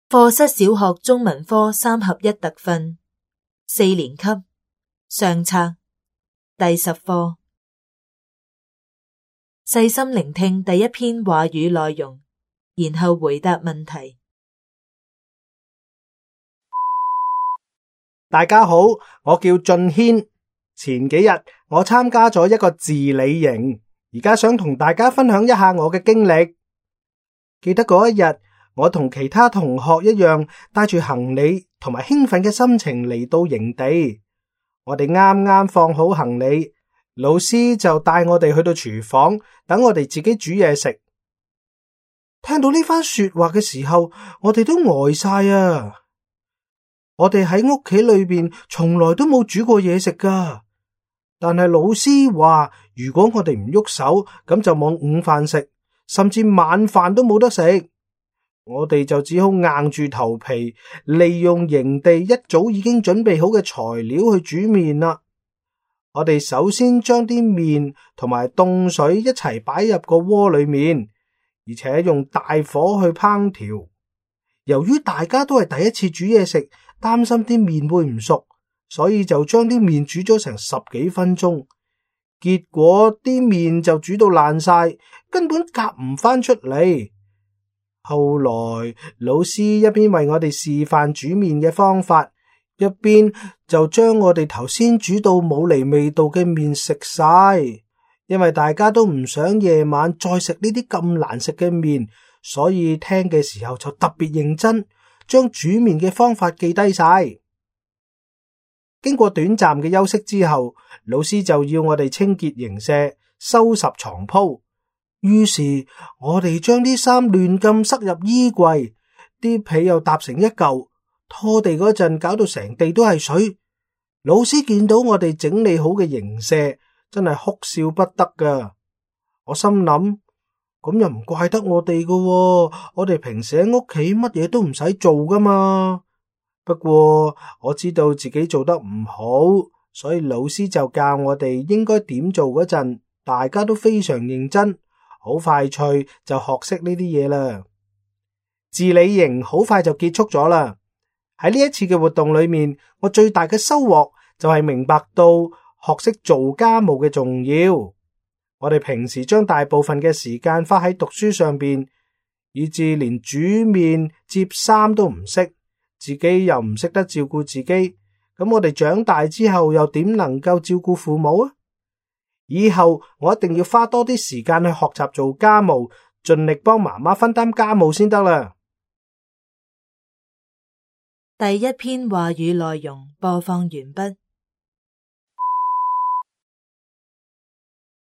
課室小學中文科3合1特訓，4年級上冊第10課。細心聆聽第一篇話語內容，然後回答問題。大家好，我叫俊軒。前幾日我參加咗一個自理營，而家想同大家分享一下我嘅經歷。記得嗰一日，我同其他同學一樣，帶住行李同埋興奮嘅心情嚟到營地。我哋啱啱放好行李，老師就帶我哋去到廚房，等我哋自己煮嘢食。聽到呢番說話嘅時候，我哋都呆晒啊！我哋喺屋企裏邊從來都冇煮過嘢食噶，但係老師話，如果我哋唔喐手，咁就冇午飯食，甚至晚飯都冇得食。我哋就只好硬住頭皮，利用營地一早已經準備好嘅材料去煮麵啦。我哋首先將啲麵同埋凍水一齊擺入個鍋裏面，而且用大火去烹調。由於大家都係第一次煮嘢食，擔心啲麵會唔熟，所以就將啲麵煮咗成10幾分鐘。結果啲麵就煮到爛晒，根本夾唔翻出嚟。後來老師一邊為我哋示範煮麵嘅方法，一邊就將我哋頭先煮到冇嚟味道嘅麵食晒。因為大家都唔想夜晚再食呢啲咁難食嘅麵，所以聽嘅時候就特別認真，將煮麵嘅方法記低晒。經過短暫嘅休息之後，老師就要我哋清潔營舍，收拾床鋪。於是我哋將啲衫亂咁塞入衣櫃，啲被又搭成一嚿，拖地嗰陣搞到成地都係水。老師見到我哋整理好嘅營舍，真係哭笑不得噶。我心諗，咁又唔怪得我哋噶喎，我哋平時喺屋企乜嘢都唔使做噶嘛。不過我知道自己做得唔好，所以老師就教我哋應該點做嗰陣，大家都非常認真，好快脆就學識呢啲嘢啦。自理營好快就結束咗啦。喺呢一次嘅活動裏面，我最大嘅收穫就係明白到學識做家務嘅重要。我哋平時將大部分嘅時間花喺讀書上邊，以至連煮麵、摺衫都唔識，自己又唔識得照顧自己。咁我哋長大之後又點能夠照顧父母啊？以後我一定要花多啲時間去學習做家務，盡力幫媽媽分擔家務先得啦。第一篇話語內容播放完畢。